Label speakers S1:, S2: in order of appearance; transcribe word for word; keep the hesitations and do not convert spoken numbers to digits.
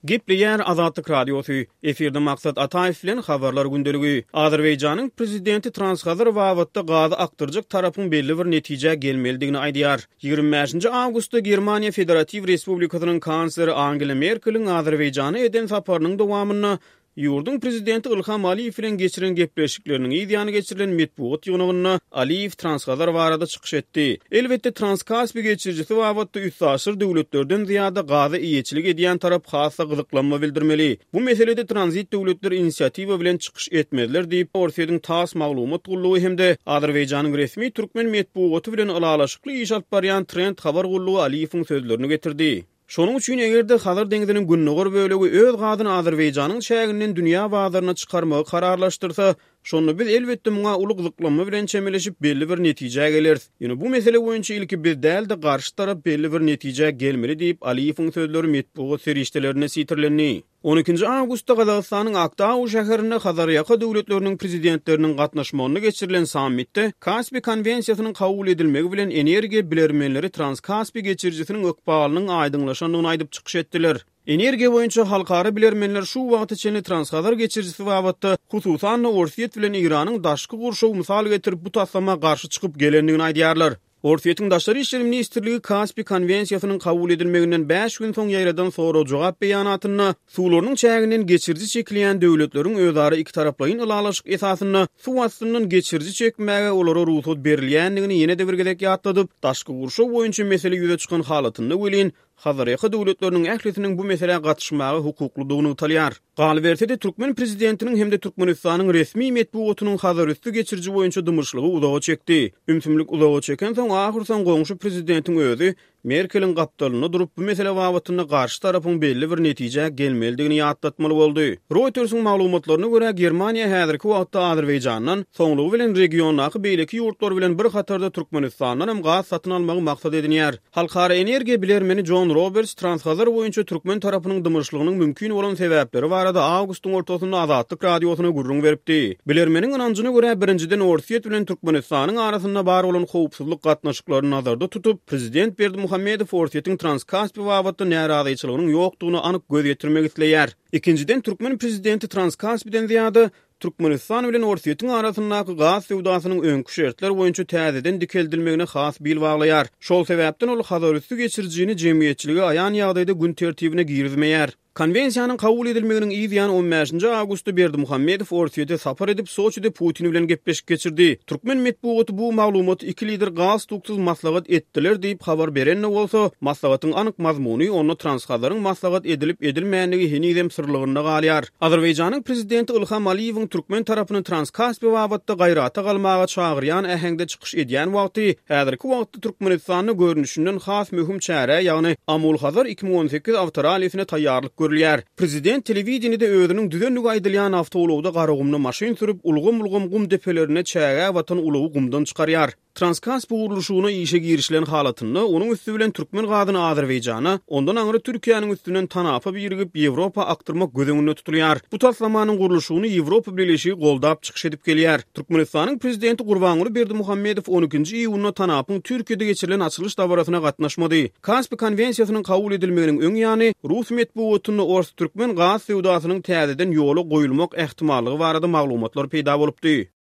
S1: Gepleýär Azatlyk Radiosy. Efirde Maksat Ataýew bilen Habarlar gündeligi. Azerbaýjanyň prezidenti Transhazar babatda gazy akdyrjak tarapyň belli bir netijä gelmelidigini aýdýar. Ýigrimi bäşinji awgustda Germaniýa Federatiw Respublikasynyň kansleri Angela Merkeliň Azerbaýjana eden saparynyň dowamynda ýurduň prezidenti Ilham Aliýew bilen geçiren gepleşikleriniň yz ýany geçirilen metbugat ýygnagynda Aliýew Transhazar barada çykyş etdi. Elbetde, Transkaspi geçirijisi babatda üstaşyr döwletlerden zyýada gaza eýeçilik edýän tarap has-da gyzyklanma bildirmeli. Bu meselede tranzit döwletler inisiatiwa bilen çykyş etmezler diýip, Orsýetiň TASS maglumat gullugy hem-de Azerbaýjanyň resmi türkmen metbugaty bilen ylalaşykly iş alyp barýan Trend habar gullugy Aliýewiň sözlerini getirdi. Şonuň üçin, eger-de Hazar deňziniň gündogar bölegi öz gazyny Azerbaýjanyň çäginden dünýä bazaryna çykarmagy kararlaşdyrsa, şonda biz, elbetde, muňa uly gyzyklanma bilen çemeleşip, belli bir netijä geleris. Ýöne bu mesele boýunça ilki biz däl-de, garşy tarap belli bir netijä gelmeli diýip, Aliýewiň sözleri metbugat serişdelerinde sitirlendi. On ikinji awgustda Gazagystanyň Aktau şäherinde Hazarýaka döwletleriniň prezidentleriniň gatnaşmagynda geçirilen sammitde Kaspi konwensiýasynyň kabul edilmegi bilen energiýa bilermenleri Transkaspi geçirijisiniň ykbalynyň aýdyňlaşandygyny aýdyp çykyş etdiler. Energiýa boýunça halkara bilermenler şu wagta çenli Transhazar geçirijisi babatda, hususan-da Orsýet bilen Eýranyň daşky gurşawy mysal getirip bu taslama garşy çykyp gelendigini aýdýarlar. Orsýetiň Daşary işler ministrligi Kaspi konwensiýasynyň kabul edilmeginden bäş gün soň ýaýradan sorag-jogap beýanatynda suwlarynyň çäginden geçiriji çekilýän döwletleriň özara ikitaraplaýyn ylalaşyk esasynda suw astyndan geçiriji çekmäge olara rugsat berilýändigini ýene-de bir gezek ýatladyp, daşky gurşaw boýunça mesele ýüze çykan halatynda welin, Hazarýaka döwletleriniň ählisiniň bu meselä gatyşmaga hukuklydygy nygtalýar. Galyberse-de, türkmen prezidentiniň hem-de Türkmenistanyň resmi metbugatynyň Hazarüsti geçiriji boýunça dymyşlygy uzaga çekdi. Ümsümlik uzaga çekensoň, ahyrsoň goňşy prezidentiň özi Merkeliň gapdalynda durup, bu mesele babatynda garşy tarapyň belli bir netijä gelmelidigini ýatlatmaly boldy. Reuters-iň maglumatlaryna görä, Germaniýa häzirki wagtda Azerbaýjandan, soňlugy bilen regiondaky beýleki ýurtlar bilen bir hatarda Türkmenistandanam gaz satyn almagy maksat edinýär. Halkara energiýa bilermeni Jon Roberts Transhazar boýunça türkmen tarapynyň dymyşlygynyň mümkin bolan sebäpleri barada awgustyň ortasynda Azatlyk Radiosyna gürrüň beripdi. Bilermeniň ynanjyna görä, birinjiden, Orsýet bilen Türkmenistanyň arasynda bar bolan howpsuzlyk gatnaşyklaryny nazarda tutup, prezident Berdimuhamedow Orsýetiň Transkaspi babatda närazyçylygynyň ýokdugyna anyk göz ýetirmek isleýär. Ikinjiden, türkmen prezidenti Transkaspiden zyýada, Türkmenistan bilen Orsýetiň arasyndaky gaz söwdasynyň öňki şertler boýunça täzeden dikeldilmegine has bil baglaýar. Şol sebäpden ol Hazarüsti geçirijini jemgyýetçilige aýan ýagdaýda gün tertibine girizmeýär. Konwensiýanyň kabul edilmeginiň yz ýany on bäşinji awgustda Berdimuhamedow Orsýete sapar edip, Soçide Putin bilen gepleşik geçirdi. Türkmen metbugaty bu maglumaty iki lider galstuksyz maslahat etdiler diýip habar beren-de bolsa, maslahatyň anyk mazmuny, onda Transhazaryň maslahat edilip-edilmändigi henizem syrlygynda galýar. Azerbaýjanyň prezidenti Ilham Aliýewiň türkmen tarapyny Transkaspi babatda gaýrata galmaga çagyrýan äheňde çykyş edýän wagty, häzirki wagtda Türkmenistanda görnüşinden has möhüm çärä, ýagny Amul-Hazar iki müň on sekiz awtorallisine taýýarlyk görülýär. Prezident telewideniýede özüniň düzendigi aýdylýan awtoulagda Garagumda maşyn sürüp, ulgam-ulgam gum depelerinde çägä batan ulagy gumdan çykarýar. Transkaspi gurluşygyna işe girişilen halatynda, onuň üsti bilen türkmen gazyny Azerbaýjana, ondan aňry Türkiýäniň üstünden tanapa birigip, Ýewropa akdyrmak göz öňünde tutulýar. Bu taslamanyň gurluşygyny Ýewropa Bileleşigi goldap çykyş edip gelýär. Türkmenistanyň Prezidenti Gurbanguly Berdimuhamedow on ikinji iýunda tanapyň Türkiýede geçirilen açylyş dabarasyna gatnaşmady. Kaspi konwensiýasynyň kabul edilmeginiň öň ýany, rus metbugatynda ors-türkmen gaz söwdasynyň täzeden ýola goýulmak ähtimallygy barada maglumatlar peýda bolupdy.